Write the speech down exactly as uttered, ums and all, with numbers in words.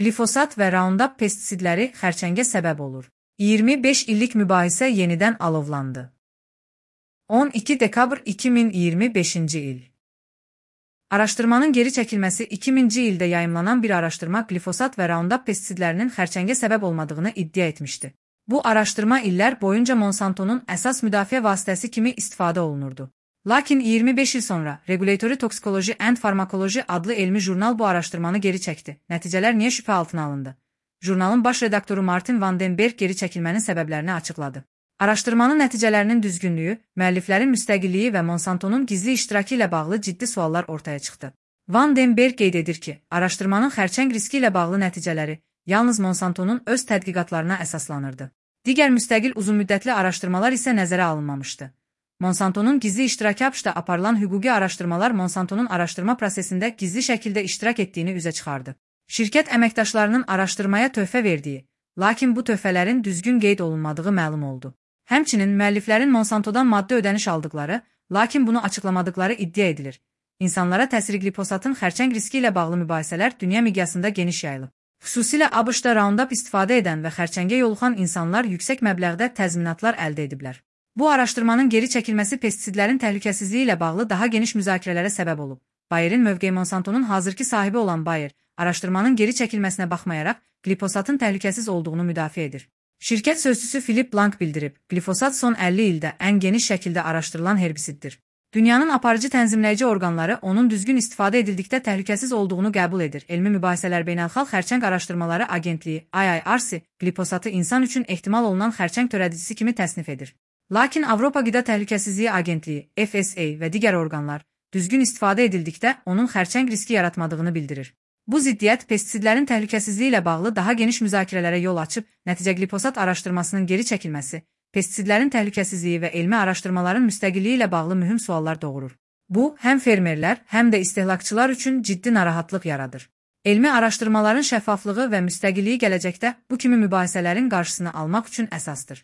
Glifosat və Roundup pestisidləri xərçəngə səbəb olur. iyirmi beş illik mübahisə yenidən alovlandı. on iki dekabr iki min iyirmi beşinci il. Araşdırmanın geri çəkilməsi iki minci ildə yayımlanan bir araşdırma glifosat və Roundup pestisidlərinin xərçəngə səbəb olmadığını iddia etmişdi. Bu araşdırma illər boyunca Monsantonun əsas müdafiə vasitəsi kimi istifadə olunurdu. Lakin iyirmi beş il sonra Regulatory Toxicology and Pharmacology adlı elmi jurnal bu araşdırmanı geri çəkdi. Nəticələr niyə şübhə altına alındı? Jurnalın baş redaktoru Martin Van den Berg geri çəkilmənin səbəblərini açıqladı. Araşdırmanın nəticələrinin düzgünlüyü, müəlliflərin müstəqilliyi və Monsantonun gizli iştirakı ilə bağlı ciddi suallar ortaya çıxdı. Van den Berg qeyd edir ki, araşdırmanın xərçəng riski ilə bağlı nəticələri yalnız Monsantonun öz tədqiqatlarına əsaslanırdı. Digər müstəqil uzunmüddətli araşdırmalar isə nəzərə alınmamışdı. Monsantonun gizli iştirakı haqqında aparılan hüquqi araşdırmalar Monsantonun araşdırma prosesində gizli şəkildə iştirak etdiyini üzə çıxardı. Şirkət əməkdaşlarının araşdırmaya töhfə verdiyi, lakin bu töhfələrin düzgün qeyd olunmadığı məlum oldu. Həmçinin müəlliflərin Monsantodan maddi ödəniş aldıqları, lakin bunu açıqlamadıqları iddia edilir. İnsanlara təsiri glifosatın xərçəng riski ilə bağlı mübahisələr dünya miqyasında geniş yayılıb. Xüsusilə ABŞ-da Roundup istifadə edən və xərçəngə yoluxan insanlar yüksək məbləğdə təzminatlar əldə ediblər. Bu araşdırmanın geri çəkilməsi pestisidlərin təhlükəsizliyi ilə bağlı daha geniş müzakirələrə səbəb olub. Bayer'in mövqeyi Monsantonun hazırki sahibi olan Bayer, araşdırmanın geri çəkilməsinə baxmayaraq glifosatın təhlükəsiz olduğunu müdafiə edir. Şirkət sözçüsü Philip Blank bildirib, glifosat son əlli ildə ən geniş şəkildə araşdırılan herbisiddir. Dünyanın aparıcı tənzimləyici orqanları onun düzgün istifadə edildikdə təhlükəsiz olduğunu qəbul edir. Elmi mübahisələr Beynəlxalq Xərçəng Araşdırmaları Agentliyi I I R C glifosatı insan üçün ehtimal olunan xərçəng törədicisi kimi təsnif edir. Lakin Avropa Qida Təhlükəsizliyi Agentliyi F S A və digər orqanlar düzgün istifadə edildikdə onun xərçəng riski yaratmadığını bildirir. Bu ziddiyyət pestisidlərin təhlükəsizliyi ilə bağlı daha geniş müzakirələrə yol açıb, nəticə glifosat araşdırmasının geri çəkilməsi, pestisidlərin təhlükəsizliyi və elmi araşdırmaların müstəqilliyi ilə bağlı mühüm suallar doğurur. Bu, həm fermerlər, həm də istehlakçılar üçün ciddi narahatlıq yaradır. Elmi araşdırmaların şəffaflığı və müstəqilliyi gələcəkdə bu kimi mübahisələrin qarşısını almaq üçün əsasdır.